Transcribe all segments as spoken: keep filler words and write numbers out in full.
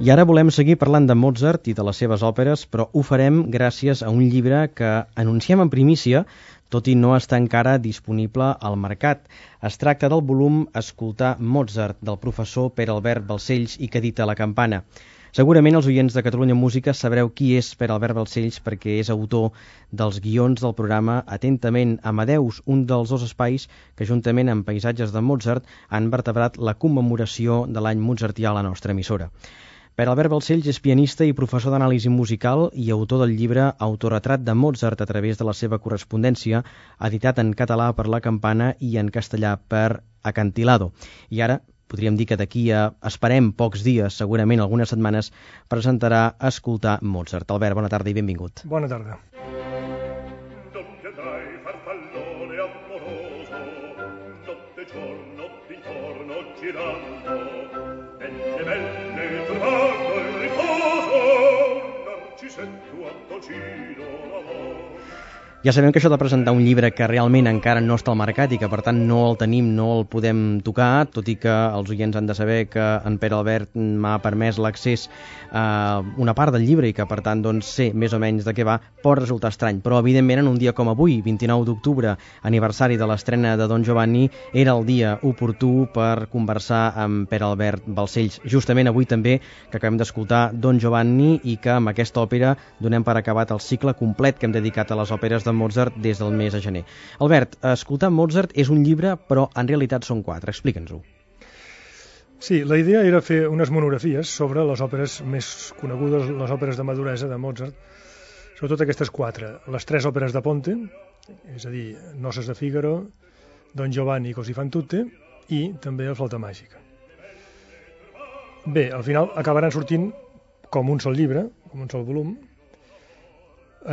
I ara volem seguir parlant de Mozart i de les seves òperes, però ho farem gràcies a un llibre que anunciem en primícia, tot i no està encara disponible al mercat. Es tracta del volum Escoltar Mozart, del professor Pere Albert Balcells i que edita La Campana. Segurament els oients de Catalunya Música sabreu qui és Pere Albert Balcells perquè és autor dels guions del programa Atentament Amadeus, un dels dos espais que juntament amb paisatges de Mozart han vertebrat la commemoració de l'any mozartià a la nostra emissora. Pere Albert Balcells és pianista i professor d'anàlisi musical i autor del llibre Autoretrat de Mozart a través de la seva correspondència, editat en català per La Campana i en castellà per Acantilado. I ara podríem dir que d'aquí a, esperem, pocs dies, segurament algunes setmanes, presentarà Escoltar Mozart. Albert, bona tarda i benvingut. Bona tarda. Ja sabem que això de presentar un llibre que realment encara no està al mercat i que per tant no el tenim, no el podem tocar, tot i que els oients han de saber que en Pere Albert m'ha permès l'accés a una part del llibre i que per tant doncs, sé més o menys de què va, pot resultar estrany. Però evidentment en un dia com avui, vint-i-nou d'octubre, aniversari de l'estrena de Don Giovanni, era el dia oportú per conversar amb Pere Albert Balcells. Justament avui també que acabem d'escoltar Don Giovanni i que amb aquesta òpera donem per acabat el cicle complet que hem dedicat a les òperes de Mozart des del mes de gener. Albert, Escoltar Mozart és un llibre, però en realitat són quatre. Explica'ns-ho. Sí, la idea era fer unes monografies sobre les òperes més conegudes, les òperes de maduresa de Mozart, sobretot aquestes quatre. Les tres òperes de Ponte, és a dir, Noces de Fígaro, Don Giovanni i Così fan tutte, i també La flauta màgica. Bé, al final acabaran sortint com un sol llibre, com un sol volum,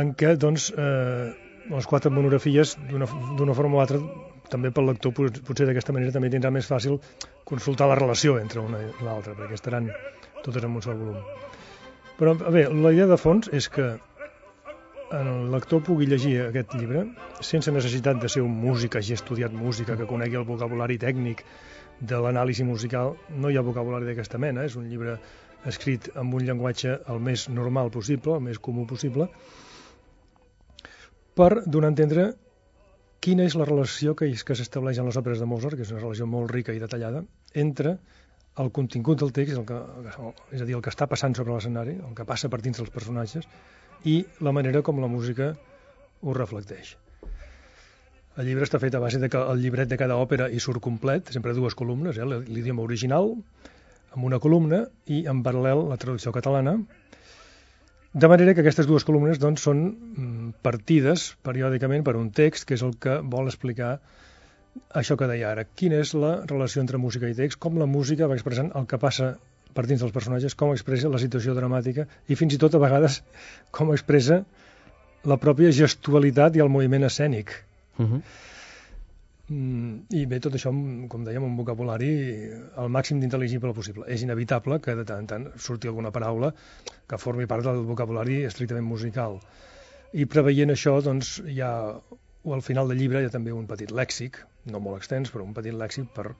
en què, doncs, eh, les quatre monografies, d'una forma o altra, també pel lector, potser d'aquesta manera també tindrà més fàcil consultar la relació entre una i l'altra, perquè estaran totes en un sol volum. Però, bé, la idea de fons és que el lector pugui llegir aquest llibre sense necessitat de ser un músic, hagi estudiat música, que conegui el vocabulari tècnic de l'anàlisi musical. No hi ha vocabulari d'aquesta mena, és un llibre escrit amb un llenguatge el més normal possible, el més comú possible, per donar a entendre quina és la relació que, que s'estableix en les òperes de Mozart, que és una relació molt rica i detallada, entre el contingut del text, el que, és a dir, el que està passant sobre l'escenari, el que passa per dins dels personatges, i la manera com la música ho reflecteix. El llibre està fet a base de que el llibret de cada òpera hi surt complet, sempre dues columnes, eh, l'idioma original, amb una columna, i en paral·lel la traducció catalana, de manera que aquestes dues columnes doncs, són partides periòdicament per un text que és el que vol explicar això que deia ara. Quina és la relació entre música i text, com la música va expressant el que passa per dins dels personatges, com expressa la situació dramàtica i fins i tot a vegades com expressa la pròpia gestualitat i el moviment escènic. Uh-huh. I bé, tot això, com dèiem, un vocabulari al màxim d'intel·ligible possible. És inevitable que de tant en tant surti alguna paraula que formi part del vocabulari estrictament musical. I preveient això, doncs, hi ha, al final del llibre hi ha també un petit lèxic, no molt extens, però un petit lèxic per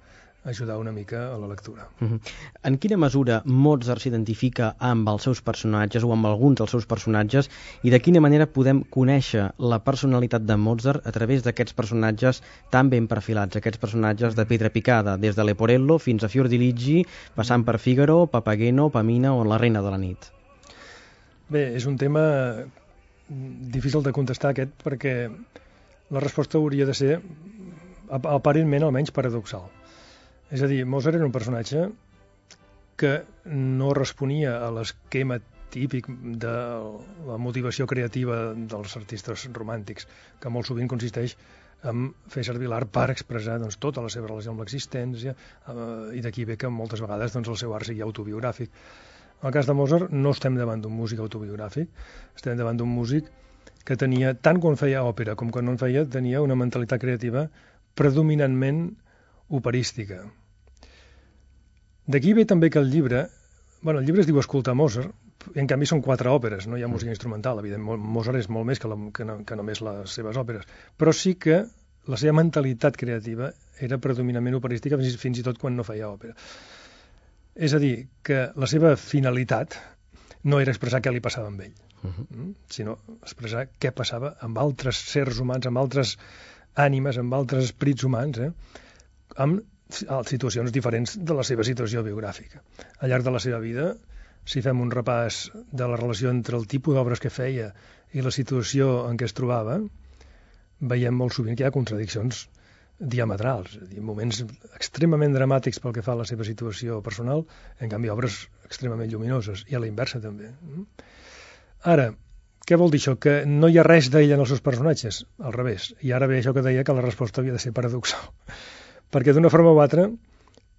ajudar una mica a la lectura. Uh-huh. En quina mesura Mozart s'identifica amb els seus personatges o amb alguns dels seus personatges i de quina manera podem conèixer la personalitat de Mozart a través d'aquests personatges tan ben perfilats, aquests personatges de pedra picada, des de Leporello fins a Fiordiligi, passant per Fígaro, Papageno, Pamina o la Reina de la nit? Bé, és un tema difícil de contestar aquest perquè la resposta hauria de ser aparentment almenys paradoxal. És a dir, Mozart era un personatge que no responia a l'esquema típic de la motivació creativa dels artistes romàntics, que molt sovint consisteix en fer servir l'art per expressar doncs, tota la seva relació amb l'existència, eh, i d'aquí ve que moltes vegades doncs, el seu art sigui autobiogràfic. En el cas de Mozart no estem davant d'un músic autobiogràfic, estem davant d'un músic que tenia, tant quan feia òpera com quan no en feia, tenia una mentalitat creativa predominantment operística. D'aquí ve també que el llibre, bueno, el llibre es diu Escoltar Mozart, en canvi són quatre òperes, no hi ha música instrumental, evidentment, Mozart és molt més que, la, que, no, que només les seves òperes, però sí que la seva mentalitat creativa era predominantment operística fins, fins i tot quan no feia òpera. És a dir, que la seva finalitat no era expressar què li passava amb ell, uh-huh. sinó expressar què passava amb altres sers humans, amb altres ànimes, amb altres esperits humans, eh? amb situacions diferents de la seva situació biogràfica. Al llarg de la seva vida, si fem un repàs de la relació entre el tipus d'obres que feia i la situació en què es trobava, veiem molt sovint que hi ha contradiccions diametrals, és a dir, moments extremament dramàtics pel que fa a la seva situació personal, en canvi obres extremament lluminoses, i a la inversa també. Ara, què vol dir això? Que no hi ha res d'ell en els seus personatges? Al revés. I ara ve això que deia, que la resposta havia de ser paradoxal. Perquè d'una forma o altra,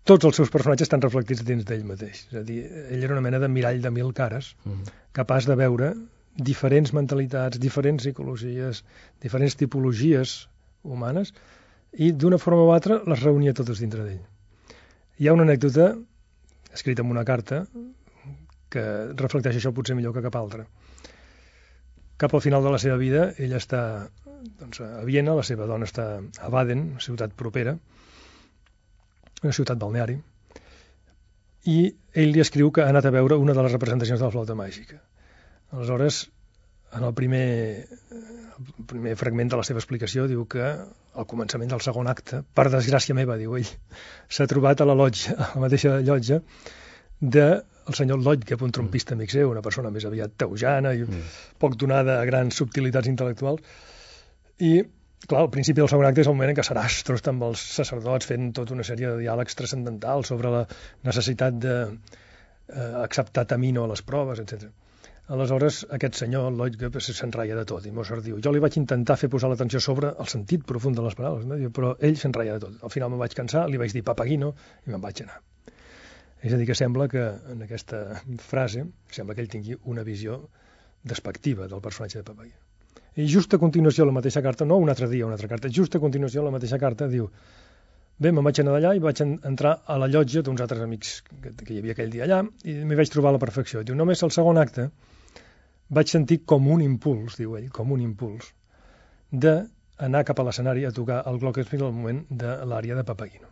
tots els seus personatges estan reflectits dins d'ell mateix. És a dir, ell era una mena de mirall de mil cares, mm. capaç de veure diferents mentalitats, diferents psicologies, diferents tipologies humanes, i d'una forma o altra les reunia totes dintre d'ell. Hi ha una anècdota, escrita en una carta, que reflecteix això potser millor que cap altra. Cap al final de la seva vida, ell està doncs, a Viena, la seva dona està a Baden, una ciutat propera, una ciutat balneari, i ell li escriu que ha anat a veure una de les representacions de la flauta màgica. Aleshores, en el primer, el primer fragment de la seva explicació, diu que al començament del segon acte, per desgràcia meva, diu ell, s'ha trobat a la lotja, a la mateixa llotja, del senyor Lodge, un trompista amic seu, una persona més aviat teujana i mm. poc donada a grans subtilitats intel·lectuals. I, clar, al principi del segon acte és el moment en què Sarastro està amb els sacerdots fent tota una sèrie de diàlegs transcendentals sobre la necessitat d'acceptar eh, Tamino a les proves, etcètera. Aleshores, aquest senyor, Lodge, s'enraia de tot, i Mozart diu, jo li vaig intentar fer posar l'atenció sobre el sentit profund de les paraules, no? Però ell s'enraia de tot. Al final me'n vaig cansar, li vaig dir Papagino i me'n vaig anar. És a dir, que sembla que en aquesta frase sembla que ell tingui una visió despectiva del personatge de Papagino. I just a continuació, la mateixa carta, no un altre dia, una altra carta, just a continuació, la mateixa carta diu, bé, me'n vaig anar d'allà i vaig entrar a la llotja d'uns altres amics que, que hi havia aquell dia allà i m'hi vaig trobar a la perfecció. Diu, només al segon acte vaig sentir com un impuls, diu ell, com un impuls, d'anar cap a l'escenari a tocar el glockenspiel al moment de l'ària de Papagino.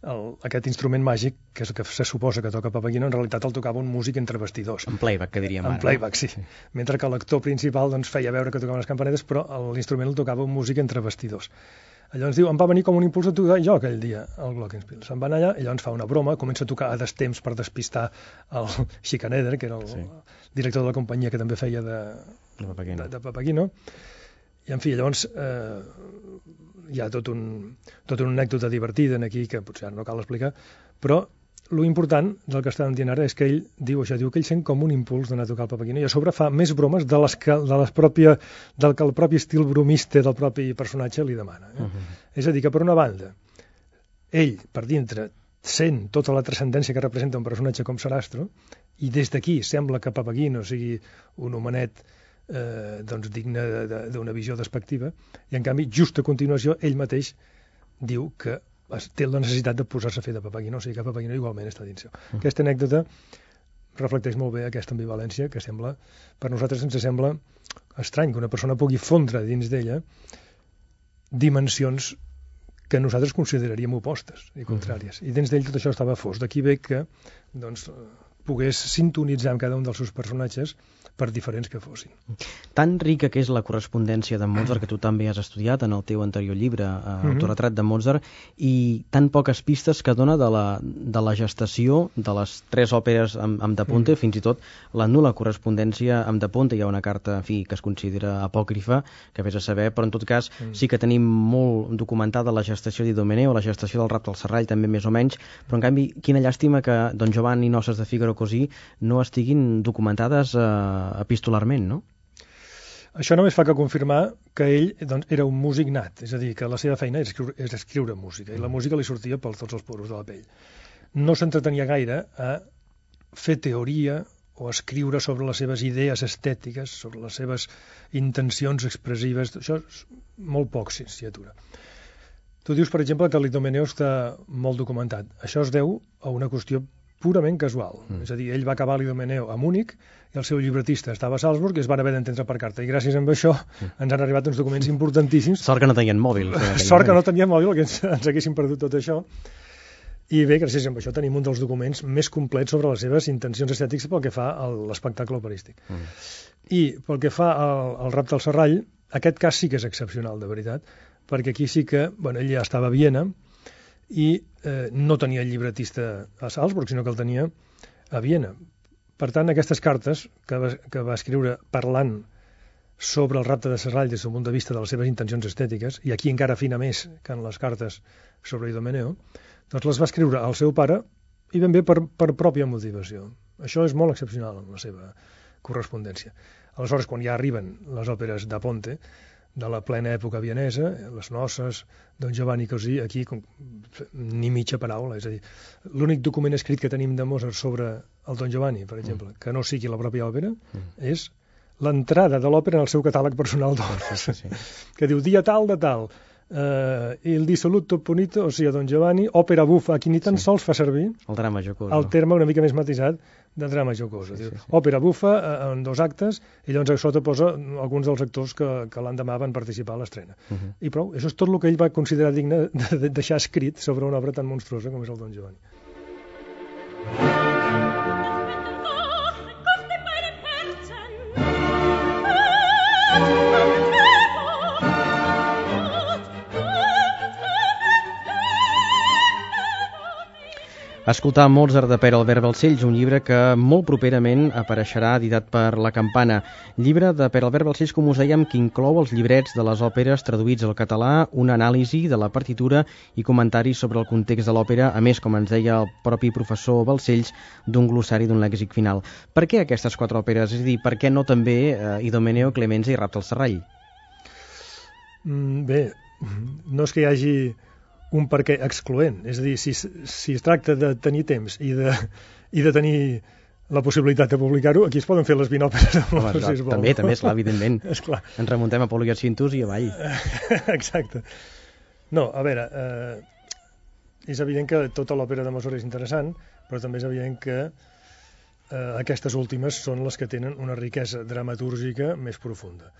El, aquest instrument màgic, que, és, que se suposa que toca Papagino, en realitat el tocava un músic entre vestidors. En playback, que diríem ara. En playback, sí. sí. Mentre que l'actor principal doncs, feia veure que tocaven les campanetes, però l'instrument el tocava un músic entre vestidors. Llavors diu, em va venir com un impuls a tocar jo aquell dia, el glockenspiel. Se'n va anar allà, i llavors fa una broma, comença a tocar a destemps per despistar el Schikaneder, que era el sí. director de la companyia que també feia de, de, Papagino. de, de Papagino. I, en fi, llavors eh, hi ha tot un, tot una anècdota divertida aquí, que potser ara no cal explicar, però lo important del que estàvem dient ara és que ell diu això, diu que ell sent com un impuls d'anar a tocar el Papagino i a sobre fa més bromes de les que, de les pròpia, del que el propi estil bromista del propi personatge li demana. Eh? Uh-huh. És a dir, que per una banda, ell, per dintre, sent tota la transcendència que representa un personatge com Sarastro, i des d'aquí sembla que Papagino sigui un homenet eh, doncs digne d'una visió despectiva, i en canvi, just a continuació, ell mateix diu que té la necessitat de posar-se a fer de Papagino, o sigui que Papagino igualment està dins seu. Mm. Aquesta anècdota reflecteix molt bé aquesta ambivalència que sembla, per nosaltres ens sembla estrany que una persona pugui fondre dins d'ella dimensions que nosaltres consideraríem opostes i contràries. Mm. I dins d'ell tot això estava fos. D'aquí ve que doncs, pogués sintonitzar amb cada un dels seus personatges per diferents que fossin. Tan rica que és la correspondència de Mozart, que tu també has estudiat en el teu anterior llibre, eh, Autoretrat de Mozart, i tan poques pistes que dona de la, de la gestació de les tres òperes amb, amb De Ponte, mm. fins i tot la nul·la correspondència amb De Ponte. Hi ha una carta, en fi, que es considera apòcrifa, que vés a saber, però en tot cas mm. sí que tenim molt documentada la gestació d'Idomeneo, la gestació del Rapte al Serrall, també més o menys, però en canvi, quina llàstima que Don Giovanni, Noces de Figaro Così no estiguin documentades eh, epistolarment, no? Això només fa que confirmar que ell doncs, era un músic nat, és a dir, que la seva feina és escriure, és escriure música, i la música li sortia per tots els poros de la pell. No s'entretenia gaire a fer teoria o escriure sobre les seves idees estètiques, sobre les seves intencions expressives, això és molt poc s'hi atura. Tu dius, per exemple, que l'Idomeneo està molt documentat. Això es deu a una qüestió purament casual. Mm. És a dir, ell va acabar l'Idomeneo a Múnich i el seu llibretista estava a Salzburg i es van haver d'entendre per carta. I gràcies a això mm. ens han arribat uns documents importantíssims. Sort que no tenien mòbil. Sort que no tenien mòbil, que ens, ens haguessin perdut tot això. I bé, gràcies a això tenim un dels documents més complets sobre les seves intencions estètiques pel que fa a l'espectacle operístic. Mm. I pel que fa al, al Rapte al Serrall, aquest cas sí que és excepcional, de veritat, perquè aquí sí que, bueno, ell ja estava a Viena i eh, no tenia el llibretista a Salzburg, sinó que el tenia a Viena. Per tant, aquestes cartes que va, que va escriure parlant sobre el Rapte de Serrall des del punt de vista de les seves intencions estètiques, i aquí encara afina més que en les cartes sobre Idomeneo, doncs les va escriure al seu pare i ben bé per, per pròpia motivació. Això és molt excepcional en la seva correspondència. Aleshores, quan ja arriben les òperes da Ponte, de la plena època vienesa, les noces, Don Giovanni Così, aquí com, ni mitja paraula, és a dir, l'únic document escrit que tenim de Mozart sobre el Don Giovanni, per exemple, mm. que no sigui la pròpia òpera, mm. és l'entrada de l'òpera en el seu catàleg personal d'obres, sí, sí, sí. que diu dia tal de tal, Uh, il dissoluto punito, o sigui, Don Giovanni, òpera bufa, aquí ni tan sí. sols fa servir el drama jocoso, el terme una mica més matisat de drama jocoso. Sí, sí, sí. Òpera bufa uh, en dos actes, i llavors a sota posa alguns dels actors que, que l'endemà van participar a l'estrena. Uh -huh. I prou, això és tot el que ell va considerar digne de, de deixar escrit sobre una obra tan monstruosa com és el Don Giovanni. Escoltar Mozart de Pere Albert Balcells, un llibre que molt properament apareixerà editat per La Campana. Llibre de Pere Albert Balcells, com us dèiem, que inclou els llibrets de les òperes traduïts al català, una anàlisi de la partitura i comentaris sobre el context de l'òpera, a més, com ens deia el propi professor Balcells, d'un glossari d'un lèxic final. Per què aquestes quatre òperes? És a dir, per què no també eh, Idomeneo, Clemenza i Rapte al Serrall? Mm, bé, no és que hi hagi un perquè excloent, és a dir, si, si es tracta de tenir temps i de, i de tenir la possibilitat de publicar-ho, aquí es poden fer les vint òperes. Home, si es vol. També, també, esclar, evidentment. Esclar. Ens remuntem a Pol i Cintus i avall. Exacte. No, a veure, eh, és evident que tota l'òpera de Mozart és interessant, però també és evident que eh, aquestes últimes són les que tenen una riquesa dramatúrgica més profunda.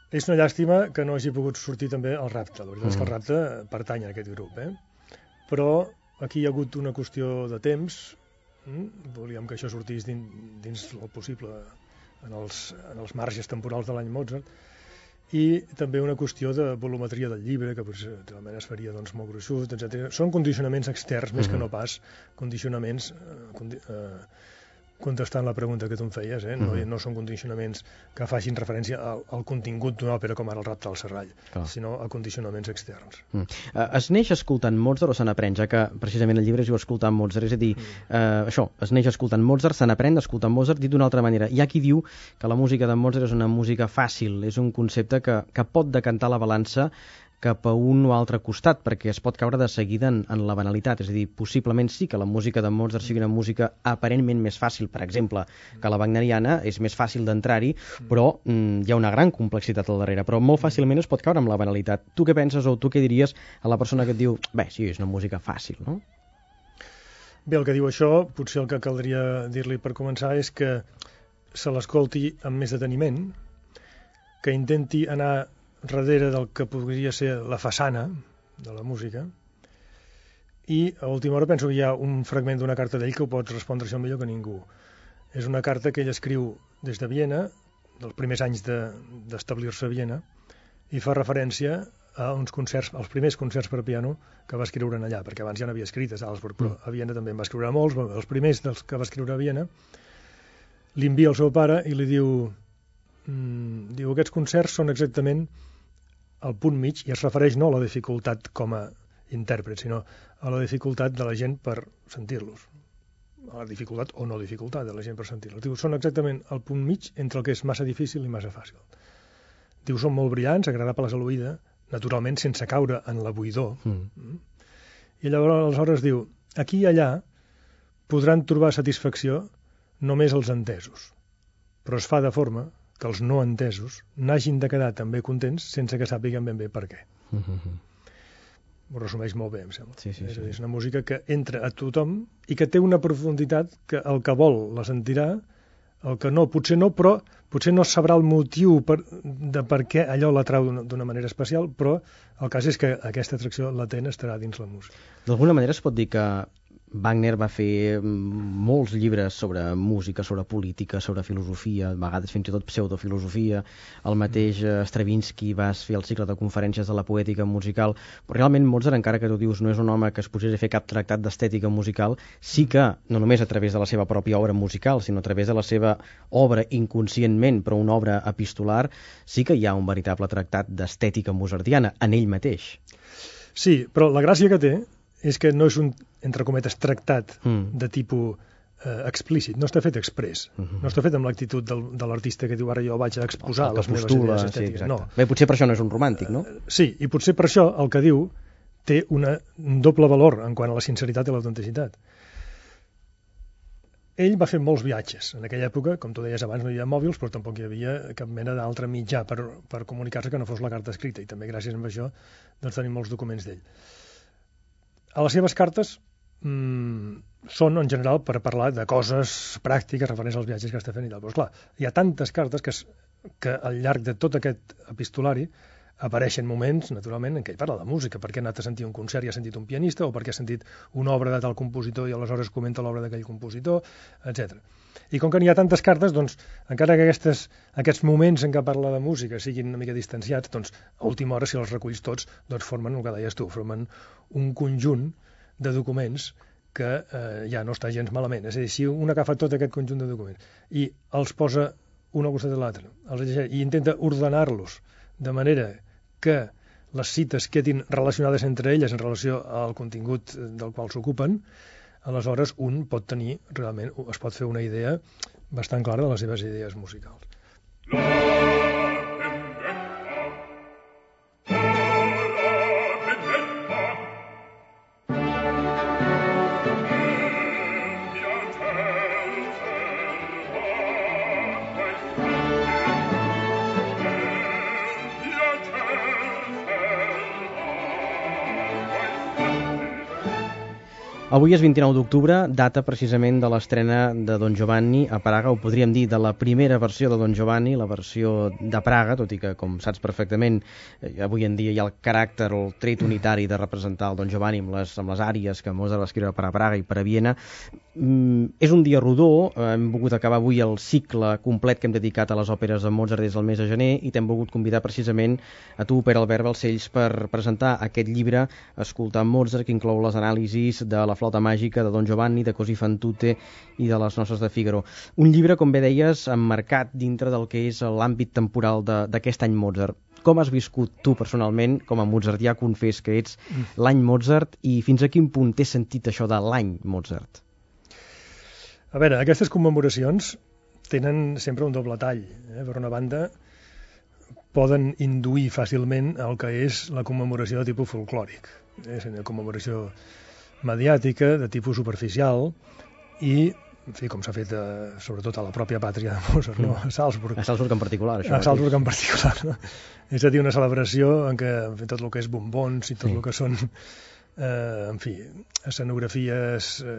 És una llàstima que no hagi pogut sortir també el Rapte. La veritat mm. és que el Rapte pertany a aquest grup, eh? Però aquí hi ha hagut una qüestió de temps. Mm? Volíem que això sortís dins, dins el possible en els, en els marges temporals de l'any Mozart, i també una qüestió de volumetria del llibre, que potser es faria doncs, molt gruixut, etcètera. Són condicionaments externs, més mm-hmm. que no pas condicionaments eh, condi eh, contestant la pregunta que tu em feies, eh? no, mm-hmm. no són condicionaments que facin referència al, al contingut d'una òpera com ara el Rapte al Serrall, Clar. sinó a condicionaments externs. Mm. Uh, es neix escoltant Mozart o se n'aprèn, ja que precisament el llibre es diu escoltant Mozart, és a dir, mm. uh, això, es neix escoltant Mozart, se n'aprèn escoltant Mozart, dit d'una altra manera. Hi ha qui diu que la música de Mozart és una música fàcil, és un concepte que, que pot decantar la balança cap a un o altre costat, perquè es pot caure de seguida en, en la banalitat. És a dir, possiblement sí que la música de Mozart sigui una música aparentment més fàcil, per exemple, que la wagneriana, és més fàcil d'entrar-hi, però mm, hi ha una gran complexitat al darrere, però molt fàcilment es pot caure amb la banalitat. Tu què penses o tu què diries a la persona que et diu, bé, sí, és una música fàcil, no? Bé, el que diu això, potser el que caldria dir-li per començar és que se l'escolti amb més deteniment, que intenti anar darrere del que podria ser la façana de la música, i a última hora penso que hi ha un fragment d'una carta d'ell que ho pots respondre això millor que ningú. És una carta que ell escriu des de Viena, dels primers anys d'establir-se de, a Viena, i fa referència a uns concerts, als primers concerts per piano que va escriure allà, perquè abans ja n'havia escrit a Salzburg, però a Viena també en va escriure molts, els primers dels que va escriure a Viena, li envia al seu pare i li diu, mm, diu, aquests concerts són exactament al punt mig, i es refereix no a la dificultat com a intèrpret, sinó a la dificultat de la gent per sentir-los. A la dificultat o no dificultat de la gent per sentir-los. Diu, són exactament al punt mig entre el que és massa difícil i massa fàcil. Diu, són molt brillants, agradables a l'oïda, naturalment sense caure en la buidor. Mm. I llavors aleshores diu, aquí i allà podran trobar satisfacció només els entesos, però es fa de forma que els no entesos n'hagin de quedar també contents sense que sàpiguen ben bé per què. Mm-hmm. Ho resumeix molt bé, em sembla. Sí, sí, és, sí. és una música que entra a tothom i que té una profunditat que el que vol la sentirà, el que no, potser no, però potser no sabrà el motiu per, de per què allò l'atrau d'una manera especial, però el cas és que aquesta atracció latent estarà dins la música. D'alguna manera es pot dir que Wagner va fer molts llibres sobre música, sobre política, sobre filosofia, a vegades fins i tot pseudofilosofia. El mateix Stravinsky va fer el cicle de conferències de la poètica musical, però realment Mozart, encara que tu dius no és un home que es posés a fer cap tractat d'estètica musical, sí que, no només a través de la seva pròpia obra musical, sinó a través de la seva obra inconscientment, però una obra epistolar, sí que hi ha un veritable tractat d'estètica mozartiana en ell mateix. Sí, però la gràcia que té és que no és un, entre cometes, tractat mm. de tipus eh, explícit, no està fet express, mm-hmm. no està fet amb l'actitud del, de l'artista que diu ara jo vaig a exposar les meves idees estètiques. Sí, no. Bé, potser per això no és un romàntic, no? Uh, sí, i potser per això el que diu té una, un doble valor en quant a la sinceritat i l'autenticitat. Ell va fer molts viatges. En aquella època, com tu deies abans, no hi havia mòbils, però tampoc hi havia cap mena d'altre mitjà per, per comunicar-se que no fos la carta escrita, i també gràcies a això doncs, tenim molts documents d'ell. A les seves cartes mmm, són, en general, per parlar de coses pràctiques referents als viatges que està fent i tal. Però, esclar, hi ha tantes cartes que, que al llarg de tot aquest epistolari apareixen moments, naturalment, en què ell parla de música, perquè ha anat a sentir un concert i ha sentit un pianista, o perquè ha sentit una obra de tal compositor i aleshores comenta l'obra d'aquell compositor, etcètera. I com que n'hi ha tantes cartes, doncs, encara que aquestes, aquests moments en què parla de música siguin una mica distanciats, doncs, a última hora, si els reculls tots, doncs formen, el que deies tu, formen un conjunt de documents que eh, ja no està gens malament. És a dir, si un agafa tot aquest conjunt de documents i els posa un al costat de l'altre, i intenta ordenar-los de manera que les cites quedin relacionades entre elles en relació al contingut del qual s'ocupen, aleshores un pot tenir, realment, es pot fer una idea bastant clara de les seves idees musicals. Avui és vint-i-nou d'octubre, data precisament de l'estrena de Don Giovanni a Praga, o podríem dir de la primera versió de Don Giovanni, la versió de Praga, tot i que, com saps perfectament, eh, avui en dia hi ha el caràcter, el tret unitari de representar el Don Giovanni amb les, amb les àries que Mozart va escriure per a Praga i per a Viena. Mm, és un dia rodó, eh, hem volgut acabar avui el cicle complet que hem dedicat a les òperes de Mozart des del mes de gener i t'hem volgut convidar precisament a tu, Pere Albert Balcells, per presentar aquest llibre Escoltar Mozart, que inclou les anàlisis de la flauta màgica de Don Giovanni, de Così fan tutte i de les noces de Fígaro. Un llibre, com bé deies, emmarcat dintre del que és l'àmbit temporal d'aquest any Mozart. Com has viscut tu personalment, com a mozartià confés que ets, l'any Mozart, i fins a quin punt té sentit això de l'any Mozart? A veure, aquestes commemoracions tenen sempre un doble tall. Eh? Per una banda, poden induir fàcilment el que és la commemoració de tipus folclòric. És una commemoració mediàtica, de tipus superficial, i, en fi, com s'ha fet eh, sobretot a la pròpia pàtria de Mozart, no? A Salzburg. A Salzburg en particular, això. A Salzburg en particular, no? És a dir, una celebració en què en fi, tot el que és bombons i tot sí. el que són, eh, en fi, escenografies eh,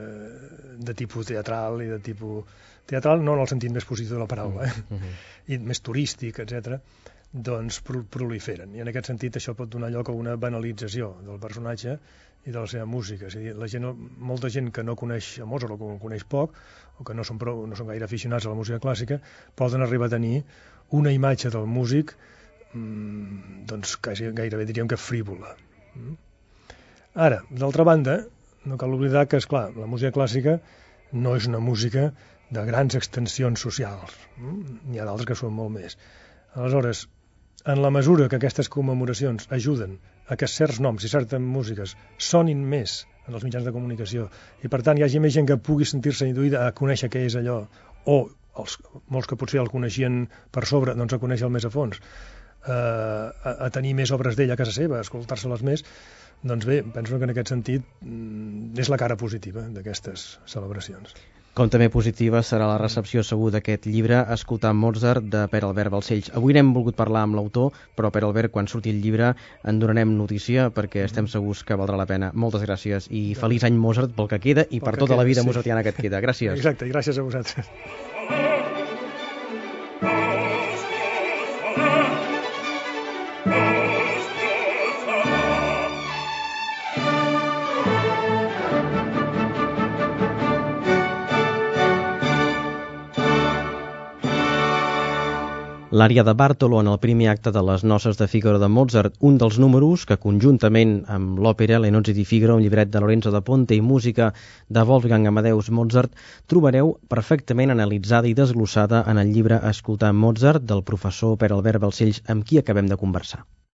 de tipus teatral i de tipus... Teatral no en el sentit més positiu de la paraula, eh? Uh-huh. I més turístic, etcètera, doncs proliferen. I en aquest sentit això pot donar lloc a una banalització del personatge i de la seva música. És a dir, la gent, molta gent que no coneix a Mozart o que ho coneix poc o que no són, prou, no són gaire aficionats a la música clàssica poden arribar a tenir una imatge del músic mmm, doncs quasi, gairebé diríem que frívola. Ara, d'altra banda, no cal oblidar que, esclar, la música clàssica no és una música de grans extensions socials. N'hi ha d'altres que són molt més. Aleshores, en la mesura que aquestes commemoracions ajuden a que certs noms i certes músiques sonin més en els mitjans de comunicació i per tant hi hagi més gent que pugui sentir-se induïda a conèixer què és allò, o els, molts que potser el coneixien per sobre, doncs a conèixer-el més a fons, eh, a, a tenir més obres d'ell a casa seva, a escoltar-se-les més, doncs bé, penso que en aquest sentit és la cara positiva d'aquestes celebracions. Com també positiva serà la recepció segur d'aquest llibre Escoltar Mozart de Pere Albert Balcells. Avui n'hem volgut parlar amb l'autor, però Pere Albert, quan surti el llibre en donarem notícia perquè estem segurs que valdrà la pena. Moltes gràcies i feliç any Mozart pel que queda i per tota la vida mozartiana que et queda. Gràcies. Exacte, i gràcies a vosaltres. l'ària de Bartolo en el primer acte de les Noces de Fígaro de Mozart, un dels números que conjuntament amb l'òpera Le nozze di Figaro, un llibret de Lorenzo da Ponte i música de Wolfgang Amadeus Mozart, trobareu perfectament analitzada i desglossada en el llibre Escoltar Mozart del professor Pere Albert Balcells, amb qui acabem de conversar.